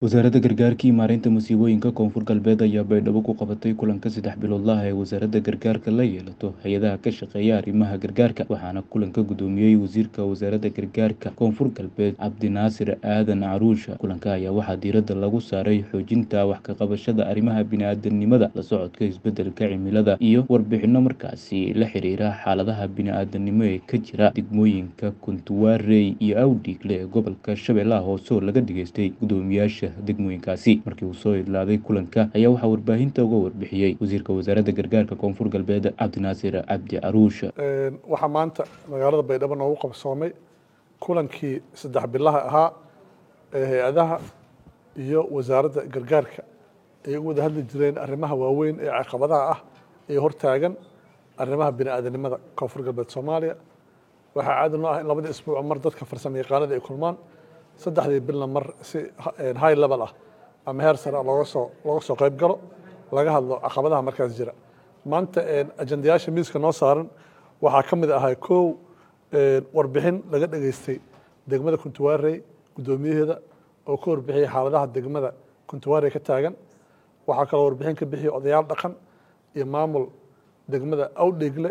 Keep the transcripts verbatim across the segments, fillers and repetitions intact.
Wasaaradda Gargaarka iyo Maareynta Masiibooyinka Koonfur Galbeed ayaa Baydhabo ku qabatay kulanka saddex biloodlaha ah ee wasaaradda gargaarka la yeelato hay'adaha ka shaqeeya arrimaha gargaarka, waxaana kulanka gudoomiyey Wasiirka Wasaaradda Gargaarka Koonfur Galbeed Cabdinaasir Aadan Caruusha. Kulanka ayaa waxaa diiradda lagu saaray xoojinta wax ka qabashada arrimaha bini'aadantinimada, la socodka isbeddelka cimilada, iyo warbixinno markaasi la xiriira xaaladaha bini'aadantinimo ee ka jira degmooyinka Kuntuwaarey iyo Awdiigle ee gobolka Shabeellaha Hoose oo laga dhageystay guddoomiyaasha degmooyinkaasi. Markii uu soo idlaaday kulanka ayaa waxaa warbaahinta uga warbixiyey Wasiirka Wasaaradda Gargaarka Koonfur Galbeed Cabdinaasir Cabdi Caruusha. Waxaa maanta magaalada Baydhabo noogu qabsoomay kulankii saddex bilaha ahaa ee hay-adaha iyo wasaaradda gargaarka ay uga wada hadli jireen arrimaha waaweyn ee caqabadaha ah ee hortaagan arrimaha bini'aadanimada Koonfur Galbeed Soomaaliya. Waxaa caadi noo ah in labadii isbuuc mar dadka farsamo yaqaanada ay kulmaan, saddexdii bilna mar si high level ah ama heer sare ah looga soo looga soo qayb galo, laga hadlo caqabadaha markaas jira. Maanta ajandayaasha miiska noo saaran waxaa ka mid ahaa kow, warbixin laga dhageystay degmada Kuntuwaarey guddoomiyaheeda oo ka warbixiyey xaaladaha degmada Kuntuwaarey ka taagan. Waxaa kaloo warbixin ka bixiyey odayaal dhaqan iyo maamul degmada Awdheegle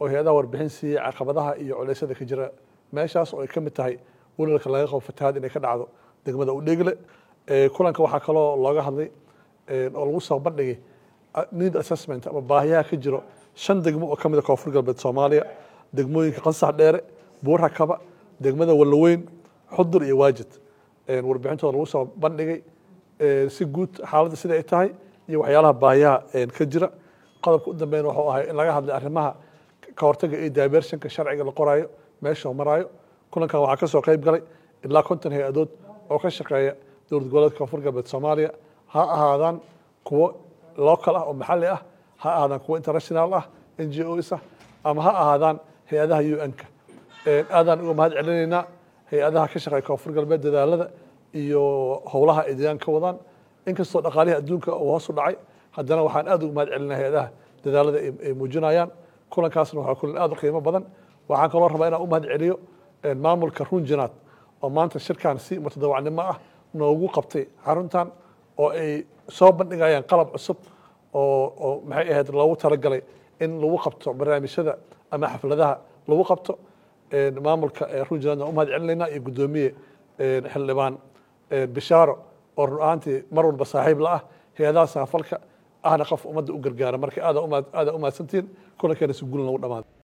oo hay-adaha warbixin siiyey caqabadaha iyo culeysyada ka jira meeshaas, oo ay ka mid tahay welwelka laga qabo fatahaad inay ka dhacdo degmada Awdheegle. Kulanka waxaa kaloo looga hadlay oo lagu soo bandhigay need assessment ama baahiyaha ka jiro shan degmo oo ka mid ah Koonfur Galbeed Soomaaliya: degmooyinka Qansax Dheere, Buur Hakaba, degmada Wallaweyn, Xudur iyo Waajid. Warbixintooda lagu soo bandhigay si guud xaaladda sida ay tahay iyo waxyaalaha baahiyaha ka jira. Qodobka u dambeeyana wuxuu ahay in laga hadlay arrimaha ka hortagga iyo diversionka sharciga la qoraayo meesha uu maraayo. Kulankan waxaa ka soo qayb galay ilaa konton hay-adood oo ka shaqeeya dowlad goboleedka Koonfur Galbeed Soomaaliya, ha ahaadaan kuwo local ah oo maxalli ah, ha ahaadaan kuwo international ah, N G Os ah, ama ha ahaadaan hay-adaha U N-ka. Aadaan uga mahad celinaynaa hay-adaha ka shaqeeya Koonfur Galbeed dadaalada iyo howlaha ay deegaanka ka wadaan. Inkastoo dhaqaalihii adduunka uu hoos u dhacay, haddana waxaan aad uga mahad celinaa hay-adaha dadaalada ay muujinayaan. Kulankaasna waxaa kulan aad u qiimo badan. Waxaan kaloo rabaa inaan u mahad celiyo maamulka Runjinaad oo maanta shirkan si mutadawacnimo ah noogu qabtay xaruntan, oo ay soo bandhigayaan qalab cusub oo oo maxay ahayd loogu talagalay in lagu qabto barnaamijyada ama xafladaha lagu qabto. Maamulka Runjinaadna u mahad celinaynaa iyo guddoomiye xildhibaan Bishaaro oo run ahaantii mar walba saaxiib la ah hay-adaha samafalka, ahna qof ummadda u gargaara. Marka aada aada u mahadsantihiin, kulankeena si guul noogu dhamaaday.